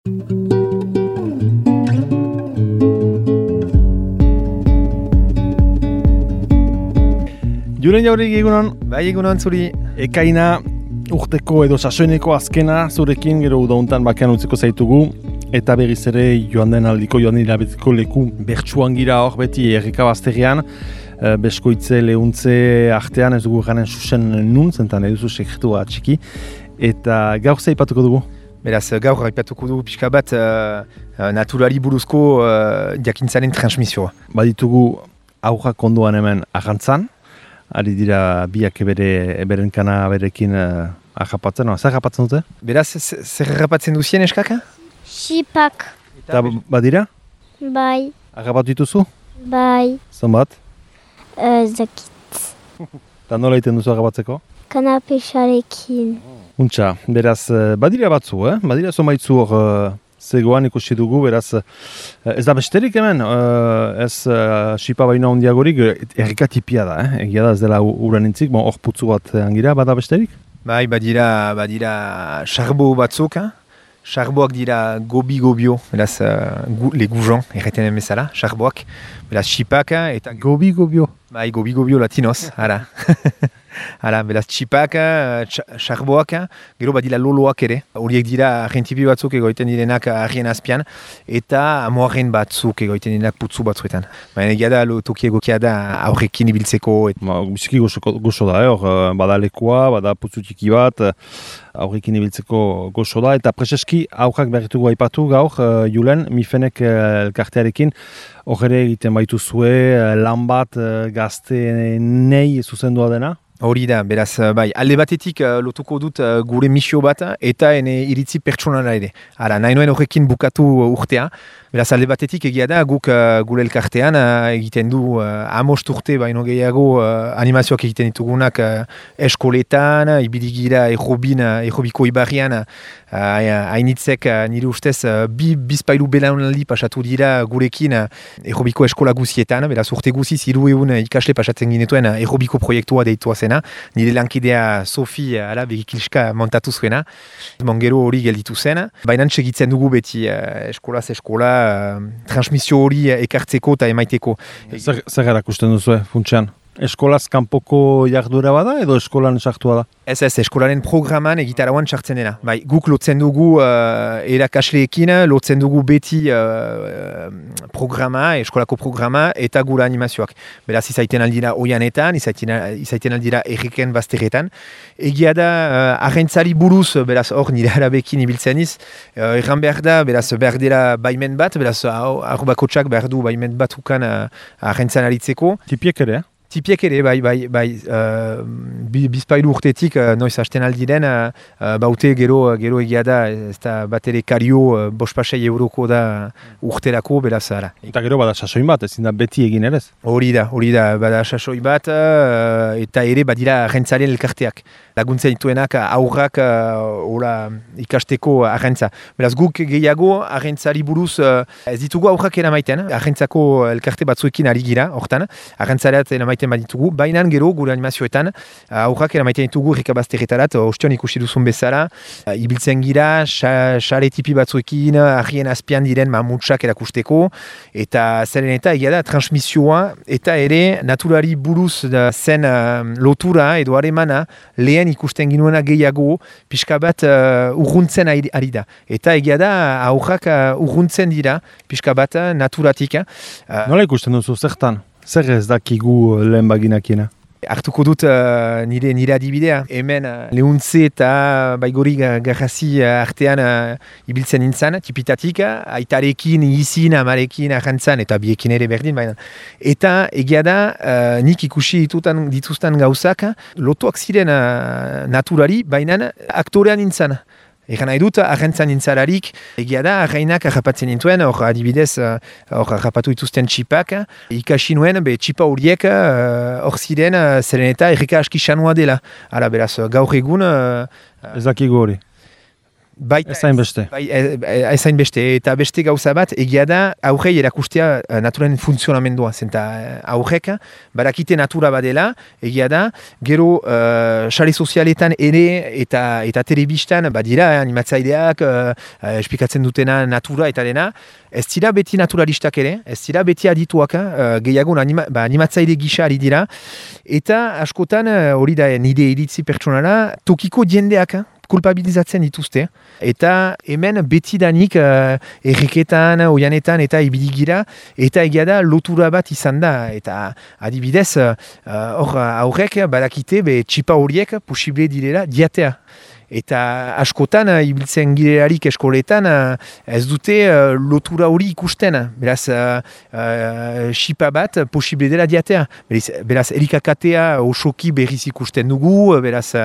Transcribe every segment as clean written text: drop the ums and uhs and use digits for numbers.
Julen Jauregui egunon? Bai egunon zuri. Ekaina urteko edo sasoineko azkena zurekin gero udauntan bakean utziko zaitugu. Eta berriz ere joan den hilabeteko leku bertsuan gira hor beti erreka bazterrean. Beskoitze, lehuntze artean ez dugu garen susen nun, zentan eduzu sekretua txiki. Eta gaur ze aipatuko dugu? Beraz, gaur aipatuko dugu pixka bat naturari buruzko jakintzaren transmisioa. Baditugu aurrak ondoan hemen arrantzan. Ari dira biak beren kana berekin ahapatzen, zer ahapatzen dute? Beraz, zer ahapatzen duzien eskaka? Xipak. Eta badira? Bai. Ahapatu dituzu? Bai. Zonbat? Zakit. Eta nola egiten duzu ahapatzeko? Kanapexarekin. Untxa, beraz, badira batzu, Badira zonbaitzu hor zegoan ikusi dugu, beraz, ez da besterik hemen, ez xipa baina ondiagorik, errikatipia da, egia da ez dela uran intzik, hor putzu bat angira, bada besterik? Bai, badira sarbo batzuk, sarboak dira gobi-gobio, beraz, le gujon, erreten bezala, sarboak, beraz, xipak eta... Gobi-gobio? Bai, gobi-gobio latinoz, ara. Hala, beraz, txipak, sarboak, gero badila loloak ere. Horiek dira argentipi batzuk egoiten direnak argien azpian, eta amoaren batzuk egoiten direnak putzu batzuetan. Baina egia da, toki egokia da aurrekin ibiltzeko. Biziki gozo da, hor, bada lekua, bada putzu txiki bat, aurrekin ibiltzeko gozo da, eta preseski aurrak berritugu aipatu gaur, Julen, Mifenek elkartearekin, hor ere egiten baituzue lan bat gaztenei zuzendua dena? Hori da, beraz, bai, alde batetik lotuko dut gure misio bat eta ene iritzi pertsonala ere. Hala, nahi noen horrekin bukatu urtea. Beraz, alde batetik egia da, guk gure elkartean egiten du 5 urte baino gehiago animazioak egiten ditugunak eskoletan, ibili aerobiko ibarrian, hainitzek nire ustez bizpailu belaunaldi pasatu dira gurekin aerobiko eskola guzietan, beraz urte guziz 300 ikasle pasatzen ginetuen aerobiko proiektua deitua zena, nire lankidea Sofi begikilska montatu zuena, gero hori gelditu zen, baina segitzen dugu beti eskolaz eskola, transmisio hori ekartzeko eta emaiteko. Zer erakusten duzu, funtsean? Eskolaz kanpoko jardura bada edo eskolan sartua da? Ez, eskolaren programan egitarauan sartzen dena. Bai, guk lotzen dugu erakasleekin, lotzen dugu beti programa, eskolako programa eta gure animazioak. Beraz, izaiten aldira oianetan, izaiten aldira erriken bazterretan. Egia da, arrentzari buruz, beraz, hor nire arabekin ibiltzen iz, erran behar da, beraz, behar dela baimen bat, beraz, arbakotxak behar du baimen bat ukan arrentzan aritzeko. Tipiek ere, Tipiek ere, bai, bizpailu urtetik noiz hasten aldiren, baute gero egia da, ez da bat ere kario 5 € da urterako, beraz ara. Eta gero bada sasoin bat, ezin da beti egin ere? Hori da, bada sasoi bat, eta ere badira arrentzaren elkarteak. Laguntzen dituenak aurrak ikasteko arrentza. Beraz guk gehiago arrentzari buruz ez ditugu aurrak eramaiten, arrentzako elkarte batzuekin ari gira, hortan, arrentzareat eramaiten baditugu, baina gero gure animazioetan aurrak eramaiten ditugu errekabazterretarat, ostion ikusi duzun bezala, ibiltzen gira, xare tipi batzuekin, argien azpian diren mamutsak erakusteko, eta zeren eta egia da transmisioa, eta ere naturari buruz zen lotura edo haremana lehen ikusten ginuena gehiago, pixka bat urruntzen ari da. Eta egia da, aurrak urruntzen dira, pixka bat naturatik. Nola ikusten duzu, zertan? Zer ez dakigu lehen baginakiena? Hartuko dut nire adibidea. Hemen lehuntze eta baigori garrasi artean ibiltzen nintzen, tipitatik, aitarekin, izin, amarekin, arrantzan, eta biekin ere berdin, baina. Eta egia da, nik ikusi dituzten gauzak, lotuak ziren naturari, baina aktorean nintzen. Egan nahi dut, arrentzan nintzalarik, egia da, arreinak harrapatzen nintuen, hor adibidez, hor harrapatu dituzten txipak, ikasi nuen, txipa horiek hor ziren, zeren eta erreka aski sanua dela. Hala, beraz, gaur egun... Ez dakigu hori. Baita Ez hainbeste. Ez hainbeste, eta beste gauza bat, egia da, aurrei erakustea naturaren funtzionamendua, zenta aurrek, barakite natura badela, egia da, gero sare sozialetan ere eta telebistan, badira, animatzaileak, esplikatzen dutena natura eta dena, ez dira beti naturalistak ere, ez dira beti adituak, gehiago animatzaile gisa ari dira, eta askotan, hori da nire iritzi pertsonala, tokiko jendeak, kulpabilizatzen dituzte, eta hemen betidanik erreketan, oianetan eta ibidigira, eta egia da lotura bat izan da, eta adibidez, aurrek badakite txipa horiek posible direla diatea. Eta askotan, ibiltzen girelarik eskoletan, ez dute lotura hori ikusten. Beraz, xipa bat posible dela diatea. Beraz, elikakatea osoki berriz ikusten dugu. Beraz,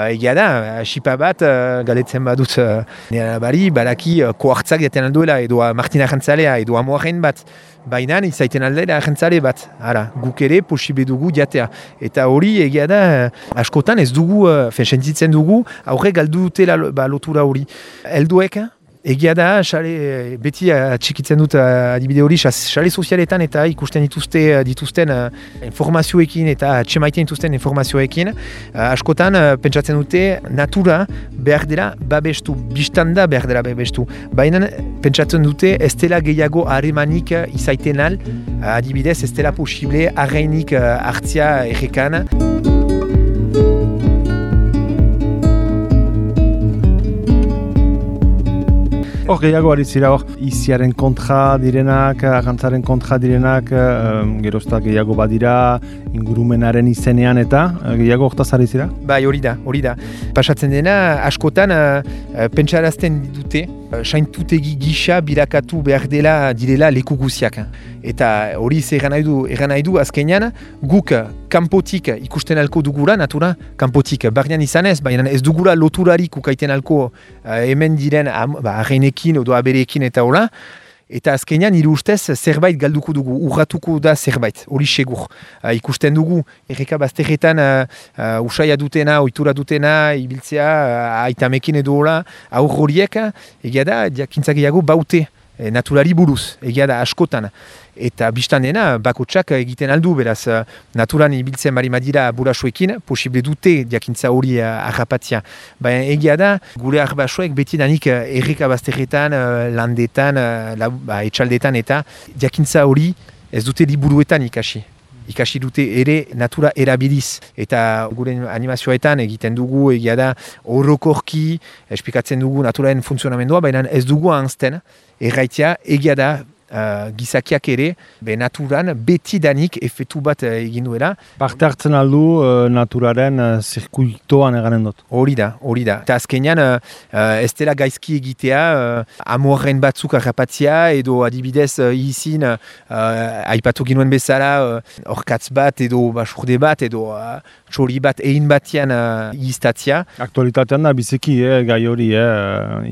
egia da, xipa bat, galetzen badut, nire bari, badaki koartzak diaten alduela, edo Martina Jantzalea, edo Amoaren bat. Baina izaiten aldera agentzale bat. Ara, guk ere posible dugu jatea. Eta hori egia da, askotan ez dugu, sentitzen dugu, aurre galdu dutela lotura hori. Helduek, egia da, beti txikitzen dut adibide hori, sare sozialetan eta ikusten dituzten informazioekin eta txemaiten dituzten informazioekin, askotan pentsatzen dute natura behar dela babestu, biztanda behar dela babestu. Baina pentsatzen dute ez dela gehiago harremanik izaiten al, adibidez ez dela posible harreinik hartzia errekan. Hor gehiago ari zira hor, iziaren kontra direnak, arrantzaren kontra direnak, gerozta gehiago badira, ingurumenaren izenean eta gehiago hortaz ari zira? Bai, hori da. Pasatzen dena, askotan pentsarazten dute, saintutegi gisa birakatu behar direla leku guziak. Eta hori egan nahi du azkenean, guk kanpotik ikusten alko dugula, natura kanpotik barnean izanez, baina ez dugula loturarik ukaiten alko hemen diren arreinekin edo abereekin eta hola. Eta azkenean nire ustez zerbait galduko dugu, urratuko da zerbait, hori segur. Ikusten dugu, erreka bazterretan usaia dutena, ohitura dutena, ibiltzea, aitamekin edo hola, aur horiek, egia da, jakintza gehiago baute. Naturari buruz, egia da askotan. Eta biztan dena, bakotsak egiten aldu, beraz, naturan ibiltzen bari madira burasoekin, posible dute jakintza hori harrapatzia. Baina egia da, gure arbasoek beti danik erreka bazterretan, landetan, etxaldetan eta jakintza hori ez dute liburuetan ikasi. Ikasi dute ere natura erabiliz. Eta gure animazioetan egiten dugu, egia da, orokorki, esplikatzen dugu naturaren funtzionamendua, baina ez dugu ahazten, erraitea egia da, gizakiak ere, naturan beti danik efetu bat egin duela. Parte hartzen aldu naturaren zirkuitoan eganen dut. Hori da. Eta azkenean ez dela gaizki egitea, amoaren batzuk harrapatzia, edo adibidez izin, aipatu ginuen bezala, orkatz bat, edo basurde bat, edo txori bat egin batian iztatzia. Aktualitatean da biziki, gai hori,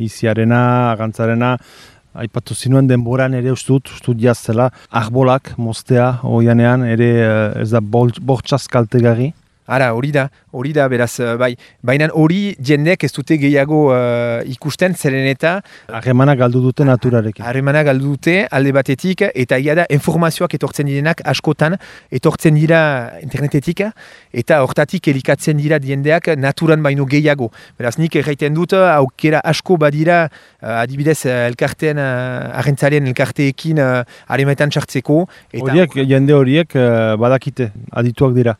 iziarena, agantzarena, aipatu zinuen denboran ere ustut jaztela, arbolak moztea oianean ere ez da bortxaz kaltegarri. Ara, hori da, beraz, bai. Baina hori jendeak ez dute gehiago ikusten, zeren eta... Harremana galdu dute naturarekin. Harremana galdu dute alde batetik, eta egia da informazioak etortzen direnak askotan, etortzen dira internetetik, eta hortatik elikatzen dira jendeak naturan baino gehiago. Beraz, nik erraiten dut, aukera asko badira, adibidez, elkarteen, arrentzaren elkarteekin harremetan txartzeko. Jende horiek badakite, adituak dira.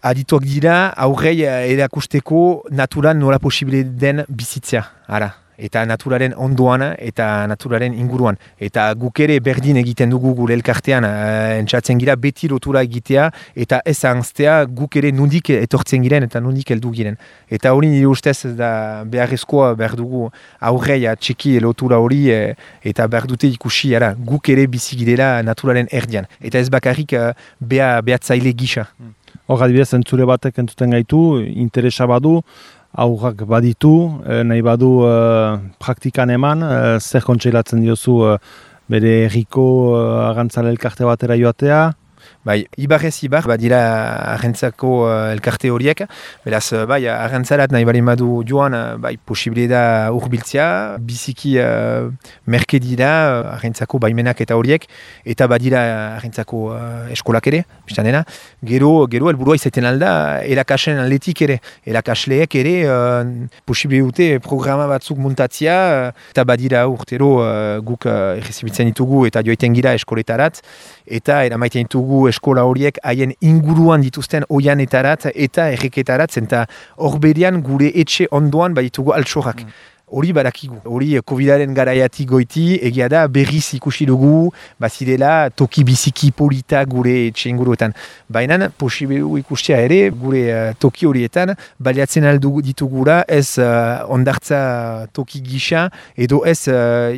Adituak dira, aurrei erakusteko naturan nola posible den bizitzea. Ara. Eta naturaren ondoan eta naturaren inguruan. Eta guk ere berdin egiten dugu gure elkartean, entzatzen gira beti lotura egitea, eta ez ahaztea guk ere nondik etortzen giren eta nondik heldu giren. Eta hori nire ustez da beharrezkoa behar dugu aurreia txiki lotura hori, eta behar dute ikusi guk ere bizi girela naturaren erdian. Eta ez bakarrik behatzaile gisa. Hor, adibidez, entzule batek entzuten gaitu, interesa badu, aurrak baditu, nahi badu praktikan eman, zer kontseilatzen diozu bere herriko agantzale elkarte batera joatea? Bai, ibarrez ibar, badira arrentzako elkarte horiek, beraz, bai, arrentzarat nahi bali madu joan, bai, posible da urbiltzea, biziki merke dira arrentzako baimenak eta horiek, eta badira arrentzako eskolak ere, biztanena, gero helburua izaiten alda, erakasen atletik ere, erakasleek ere, posible dute programa batzuk muntatzea, eta badira urtero guk errezibitzen ditugu eta joiten gira eskoletarat, eta eramaiten ditugu eskola horiek haien inguruan dituzten oianetarat eta erreketarat, eta hor berean gure etxe ondoan baditugu altsorak. Hori barakigu, hori COVID-aren garaiatik goiti, egia da berriz ikusi dugu, bazirela toki biziki polita gure etxe inguruetan. Baina posible ikustea ere, gure toki horietan, baliatzen aldu ditugura ez ondartza toki gisa, edo ez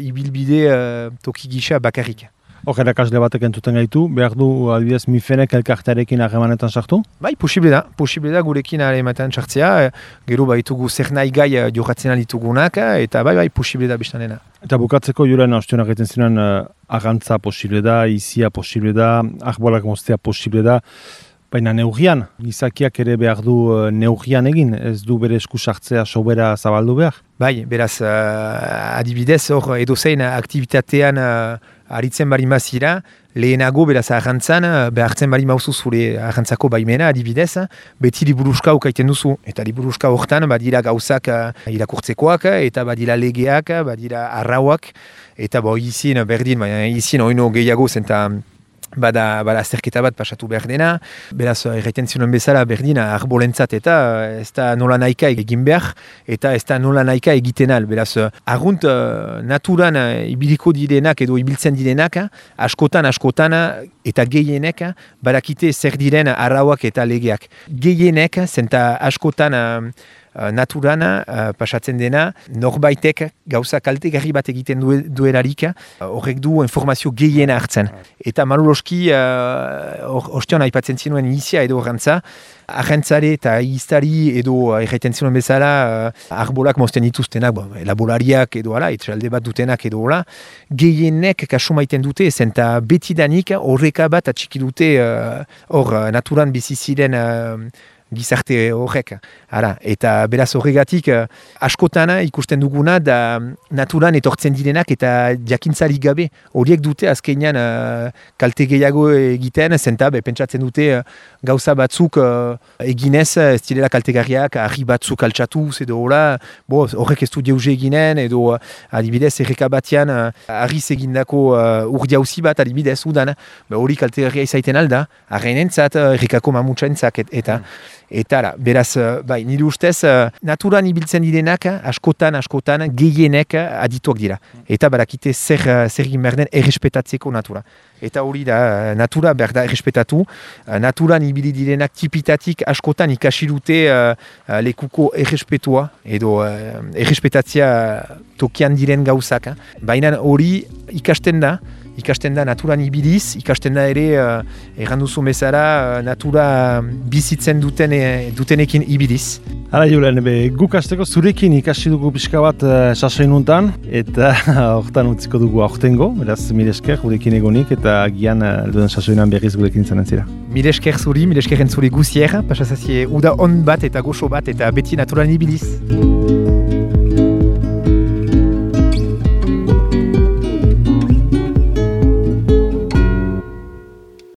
ibilbide toki gisa bakarrik. Hor erakasle batek entzuten gaitu, behar du adibidez Mifenek elkartearekin harremanetan sartu? Bai, posible da gurekin harremanetan sartzea, gero baitugu zer nahi gai jokatzen ditugunak, eta bai, posible da biztanena. Eta bukatzeko Julen ostionak egiten ziren arrantza posible da, izia posible da, arbolak moztea posible da, baina neurrian, gizakiak ere behar du neurrian egin, ez du bere esku sartzea sobera zabaldu behar? Bai, beraz, adibidez, hor edozein aktivitatean aritzen bari mazira, lehenago beraz arrantzan, behartzen bari mauzu zure arrantzako baimena adibidez, beti liburuska ukaiten duzu. Eta liburuska hortan badira gauzak irakurtzekoak, eta badira legeak, badira arrauak, eta izin berdin, izin oino gehiago zenta bada azterketa bat pasatu behar dena, beraz erraiten zioen bezala berdin arbolentzat eta ez da nola nahika egin behar, eta ez da nola nahika egiten al. Beraz, argunt naturan ibiliko direnak edo ibiltzen direnak, askotan eta gehienek barakite zer diren arrauak eta legeak. Gehienek, zenta askotan naturan pasatzen dena, norbaitek gauza kaltegarri bat egiten duelarik, horrek du informazio gehiena hartzen. Eta maluloski, ostion aipatzen zinuen izia edo arrantza, arrantzare eta iztari edo erraiten zinuen bezala arbolak mozten dituztenak, laborariak edo ala, etxalde bat dutenak edo ala, gehienek kasu maiten dute, zenta betidanik horreka bat atxiki dute hor naturan biziziren gizarte horrek. Eta beraz horregatik askotan ikusten duguna da naturan etortzen direnak eta jakintzari gabe horiek dute azkenean kalte gehiago egiten, zenta pentsatzen dute gauza batzuk eginez ez direla kaltegarriak, argi batzuk altxatuz edo horrek ez du jauze eginen edo adibidez erreka batean argiz egindako urdiauzi bat adibidez udan, hori kaltegarria izaiten alda, arrenentzat, errekako mamutsaentzak eta beraz, bai, nire ustez, naturan ibiltzen direnak, askotan, gehienek adituak dira. Eta barakite zer egin behar den errespetatzeko natura. Eta hori da, natura behar da errespetatu. Naturan ibili direnak tipitatik askotan ikasi dute lekuko errespetua, edo errespetatzea tokian diren gauzak. Baina hori ikasten da naturan ibiliz, ikasten da ere erranduzu bezala natura bizitzen dutenekin ibiliz. Hala Julen, guk hasteko zurekin ikasi dugu pixka bat sasoin untan, eta hortan utziko dugu aurtengo, beraz mire esker gurekin egonik, eta gian duen sasoinan berriz gurekin izanen zira. Mire esker zuri guzier, pasazazie uda on bat eta goxo bat, eta beti naturan ibiliz.